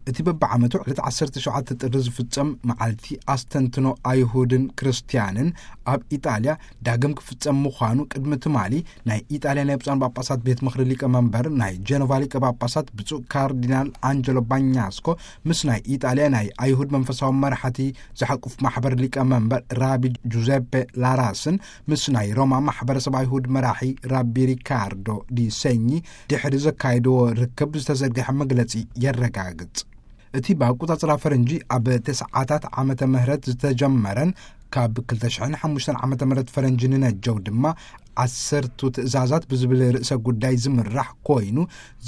እቲ በብዓመቱ ዕለት ዓሰርተ ሸውዓተ ጥሪ ዝፍጸም መዓልቲ ኣስተንትኖ ኣይሁድን ክርስትያንን ኣብ ኢጣልያ ዳግም ክፍጸም ምዃኑ ቅድሚ ትማሊ ናይ ኢጣልያ ናይ ብፁዓን ጳጳሳት ቤት ምኽሪ ሊቀ መንበር ናይ ጀኖቫ ሊቀ ጳጳሳት ብፁዕ ካርዲናል ኣንጀሎ ባኛስኮ ምስ ናይ ኢጣልያ ናይ ኣይሁድ መንፈሳዊ መራሕቲ ዝሓቁፍ ማሕበር ሊቀ መንበር ራቢ ጁዘፔ ላራስን ምስ ናይ ሮማ ማሕበረሰብ ኣይሁድ መራሒ ራቢ ሪካርዶ ዲ ሰኚ ድሕሪ ዘካየድዎ ርክብ ዝተዘርግሐ መግለጺ የረጋግጽ። እቲ ብኣቆጻጽራ ፈረንጂ ኣብ ተስዓታት ዓመተ ምህረት ዝተጀመረን ካብ ክልተ ሽሕን ሓሙሽተን ዓመተ ምህረት ፈረንጂ ንነጀው ድማ ዓሰርቱ ትእዛዛት ብዝብል ርእሰ ጉዳይ ዝምራሕ ኮይኑ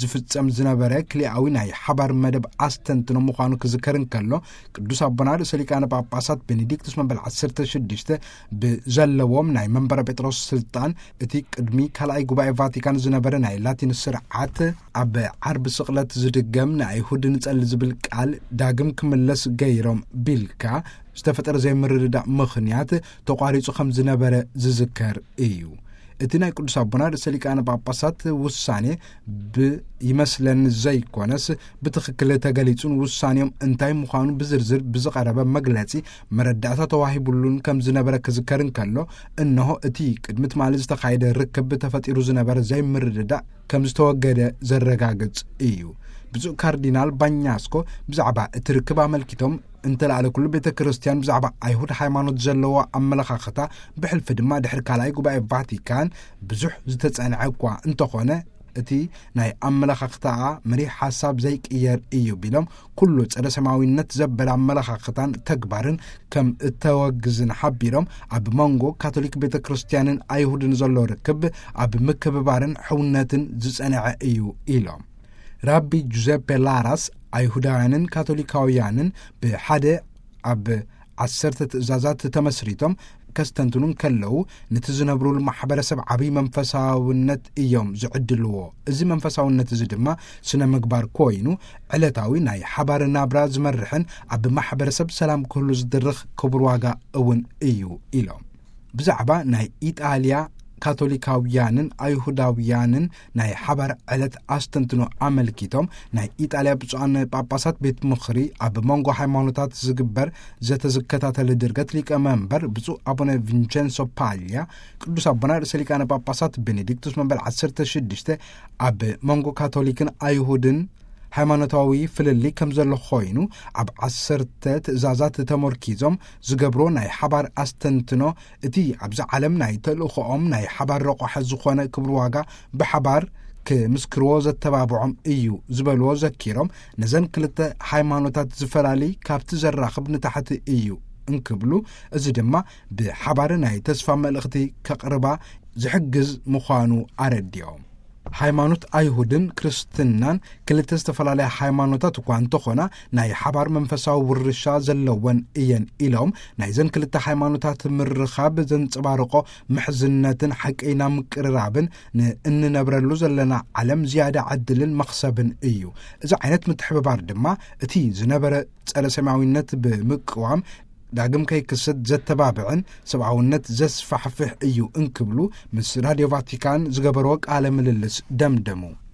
ዝፍጸም ዝነበረ ክልኣዊ ናይ ሓባር መደብ ኣስተንትኖ ምዃኑ ክዝከር እንከሎ፣ ቅዱስ ኣቦና ርእሰ ሊቃነ ጳጳሳት ቤኔዲክቱስ መበል ዓሰርተ ሽዱሽተ ብዘለዎም ናይ መንበረ ጴጥሮስ ስልጣን እቲ ቅድሚ ካልኣይ ጉባኤ ቫቲካን ዝነበረ ናይ ላቲን ስርዓት ኣብ ዓርቢ ስቕለት ዝድገም ንኣይሁድ ንጸሊ ዝብል ቃል ዳግም ክምለስ ገይሮም ቢልካ ዝተፈጠረ ዘይምርድዳእ ምኽንያት ተቋሪጹ ከም ዝነበረ ዝዝከር እዩ። እቲ ናይ ቅዱስ ኣቦና ርእሰ ሊቃነ ጳጳሳት ውሳኔ ብይመስለኒ ዘይኮነስ ብትኽክል ተገሊጹን ውሳኔኦም እንታይ ምዃኑ ብዝርዝር ብዝቐረበ መግለጺ መረዳእታ ተዋሂቡሉን ከም ዝነበረ ክዝከር እንከሎ፣ እነሆ እቲ ቅድሚ ትማሊ ዝተኻየደ ርክብ ተፈጢሩ ዝነበረ ዘይምርድዳእ ከም ዝተወገደ ዘረጋግጽ እዩ። ብፁዕ ካርዲናል ባኛስኮ ብዛዕባ እቲ ርክብ ኣመልኪቶም እንተለኣለ ኩሉ ቤተ ክርስቲያን ብዛዕባ ኣይሁድ ሃይማኖት ዘለዎ ኣመለኻኽታ ብሕልፊ ድማ ድሕሪ ካልኣይ ጉባኤ ቫቲካን ብዙሕ ዝተጸንዐ እኳ እንተኾነ እቲ ናይ ኣመለኻኽታኣ መሪሕ ሓሳብ ዘይቅየር እዩ ቢሎም ኩሉ ጸረ ሰማያዊነት ዘበለ ኣመለኻኽታን ተግባርን ከም እተወግዝን ሓቢሮም ኣብ መንጎ ካቶሊክ ቤተ ክርስቲያንን ኣይሁድን ዘሎ ርክብ ኣብ ምክብባርን ሕውነትን ዝጸንዐ እዩ ኢሎም። ራቢ ጁዘፔ ላራስ ኣይሁዳውያንን ካቶሊካውያንን ብሓደ ኣብ ዓሰርተ ትእዛዛት ተመስሪቶም ከስተንትኑ እንከለዉ ነቲ ዝነብሩሉ ማሕበረሰብ ዓብዪ መንፈሳውነት እዮም ዝዕድልዎ። እዚ መንፈሳውነት እዚ ድማ ስነ ምግባር ኮይኑ ዕለታዊ ናይ ሓባር ናብራ ዝመርሕን ኣብ ማሕበረሰብ ሰላም ክህሉ ዝድርኽ ክቡር ዋጋ እውን እዩ ኢሎም። ብዛዕባ ናይ ኢጣልያ ካቶሊካውያንን ኣይሁዳውያንን ናይ ሓባር ዕለት ኣስተንትኖ ኣመልኪቶም ናይ ኢጣልያ ብፁዓን ጳጳሳት ቤት ምኽሪ ኣብ መንጎ ሃይማኖታት ዝግበር ዘተዝከታተል ድርገት ሊቀ መንበር ብፁዕ ኣቡነ ቪንቸንሶ ፓልያ ቅዱስ ኣቦና ርእሰ ሊቃነ ጳጳሳት ቤኔዲክቱስ መበል ዓሰርተ ሽዱሽተ ኣብ መንጎ ካቶሊክን ኣይሁድን ሃይማኖታዊ ፍልልይ ከም ዘሎ ኮይኑ ኣብ ዓሰርተ ትእዛዛት ተመርኪዞም ዝገብሮ ናይ ሓባር ኣስተንትኖ እቲ ኣብዚ ዓለም ናይ ተልእኾኦም ናይ ሓባር ረቋሒ ዝኾነ ክብሪ ዋጋ ብሓባር ክምስክርዎ ዘተባብዖም እዩ ዝበልዎ ዘኪሮም ነዘን ክልተ ሃይማኖታት ዝፈላሊ ካብቲ ዘራኽብ ንታሕቲ እዩ እንክብሉ እዚ ድማ ብሓባር ናይ ተስፋ መልእኽቲ ከቕርባ ዝሕግዝ ምዃኑ ኣረዲኦም። ሃይማኖት ኣይሁድን ክርስትናን ክልተ ዝተፈላለያ ሃይማኖታት እኳ እንተኾና ናይ ሓባር መንፈሳዊ ውርሻ ዘለወን እየን ኢሎም ናይዘን ክልተ ሃይማኖታት ምርኻብ ዘንጸባርቆ ምሕዝነትን ሓቀይና ምቅርራብን ንእንነብረሉ ዘለና ዓለም ዝያዳ ዕድልን መኽሰብን እዩ። እዚ ዓይነት ምትሕብባር ድማ እቲ ዝነበረ ጸረ ሰማያዊነት ብምቅዋም ዳግም ከይክሰት ዘተባብዕን ሰብኣውነት ዘስፋሕፍሕ እዩ እንክብሉ ምስ ራድዮ ቫቲካን ዝገበርዎ ቃለ ምልልስ ደምደሙ።